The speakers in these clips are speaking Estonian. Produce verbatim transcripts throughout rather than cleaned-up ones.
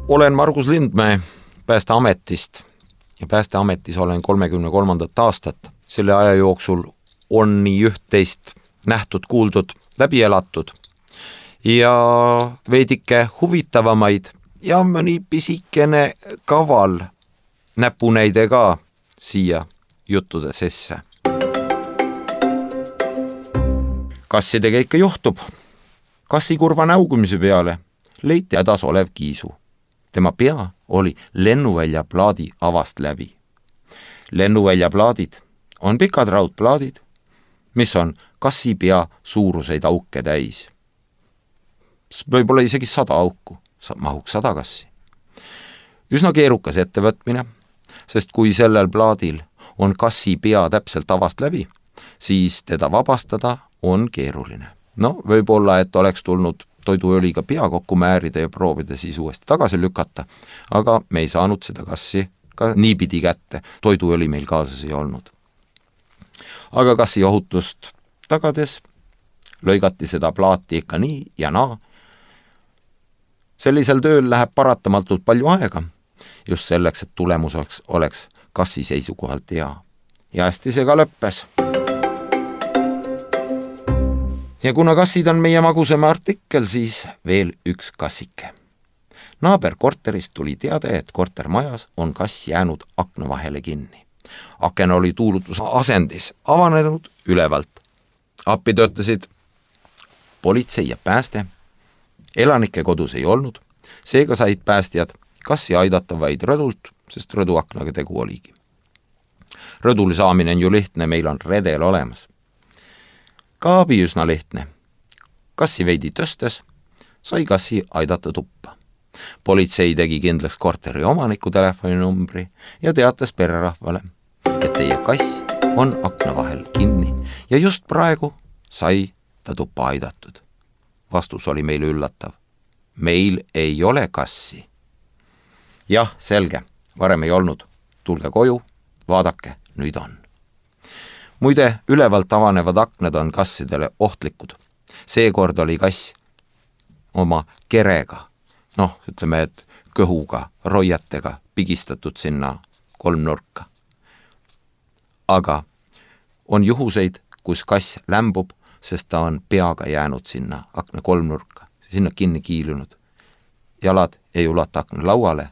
Olen Margus Lindmäe Päästeametist ja Päästeametis olen kolmekümne kolmandat aastat. Selle aja jooksul on nii üht-teist nähtud, kuuldud, läbi elatud ja veidike huvitavamaid ja mõni pisikene kaval näpunäide ka siia juttude sesse. Kassidega ikka juhtub. Kassi kurva näugumise peale leiti hädas olev kiisu. Tema pea oli lennuvälja plaadi avast läbi. Lennuvälja plaadid on pikad raudplaadid, mis on kassi pea suuruseid auke täis. Võib-olla isegi sada auku, mahuks sada kassi. Üsna keerukas ettevõtmine, sest kui sellel plaadil on kassi pea täpselt avast läbi, siis teda vabastada on keeruline. No, võib-olla, et oleks tulnud toiduöliga pea kokku määrida ja proovida siis uuesti tagasi lükata, aga me ei saanud seda kassi ka niipidi kätte. Toiduöli meil kaasas ei olnud. Aga kassi ohutust tagades lõigati seda plaati ikka nii ja naa. Sellisel tööl läheb paratamatult palju aega, just selleks, et tulemuseks oleks kassi seisukohalt hea. Ja hästi see ka lõppes. Ja kuna kassid on meie magusema artikkel, siis veel üks kassike. Naaber korterist tuli teade, et kortermajas on kass jäänud akna vahele kinni. Aken oli tuulutus asendis, avanenud ülevalt. Appi töötasid politsei ja pääste. Elanike kodus ei olnud, seega said päästjad kassi aidata vaid rõdult, sest rõduaknaga tegu oligi. Rõdul saamine on ju lihtne, meil on redel olemas. Ka abi üsna lihtne. Kassi veidi tõstes, sai kassi aidata tuppa. Politsei tegi kindlaks korteri omaniku telefoninumbri ja teatas pererahvale, et teie kass on akna vahel kinni ja just praegu sai ta tuppa aidatud. Vastus oli meil üllatav. Meil ei ole kassi. Jah, selge, varem ei olnud. Tulge koju, vaadake, nüüd on. Muide, ülevalt avanevad aknad on kassidele ohtlikud. Seekord oli kass oma kerega, noh, ütleme, et kõhuga, roiatega pigistatud sinna kolmnurka. Aga on juhuseid, kus kass lämbub, sest ta on peaga jäänud sinna akna kolmnurka, sinna kinni kiilunud. Jalad ei ulata akna lauale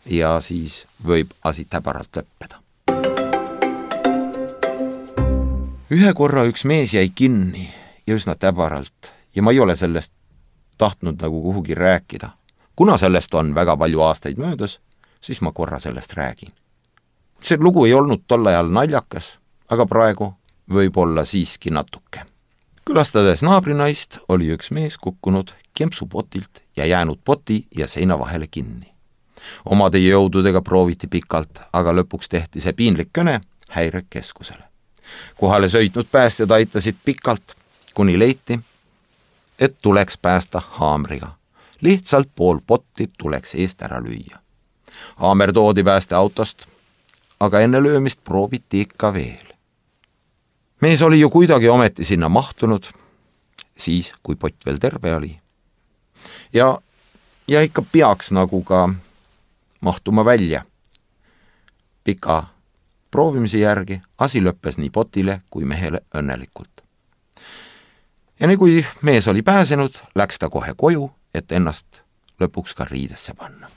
ja siis võib asi täbaralt lõppeda. Ühe korra üks mees jäi kinni ja üsna täbaralt ja ma ei ole sellest tahtnud nagu kuhugi rääkida. Kuna sellest on väga palju aastaid möödas, siis ma korra sellest räägin. See lugu ei olnud tol ajal naljakas, aga praegu võib olla siiski natuke. Külastades naabrinaist oli üks mees kukkunud kempsupotilt ja jäänud poti ja seina vahele kinni. Omade jõududega prooviti pikalt, aga lõpuks tehti see piinlik kõne häirekeskusele. Kohale sõitnud päästjad aitasid pikalt, kuni leiti, et tuleks päästa haamriga. Lihtsalt pool potti tuleks eest ära lüüa. Haamer toodi päästeautost, aga enne löömist prooviti ikka veel. Mees oli ju kuidagi ometi sinna mahtunud, siis kui pott veel terve oli. Ja, ja ikka peaks nagu ka mahtuma välja. Pika proovimise järgi asi lõppes nii potile kui mehele õnnelikult. Ja nii kui mees oli pääsenud, läks ta kohe koju, et ennast lõpuks ka riidesse panna.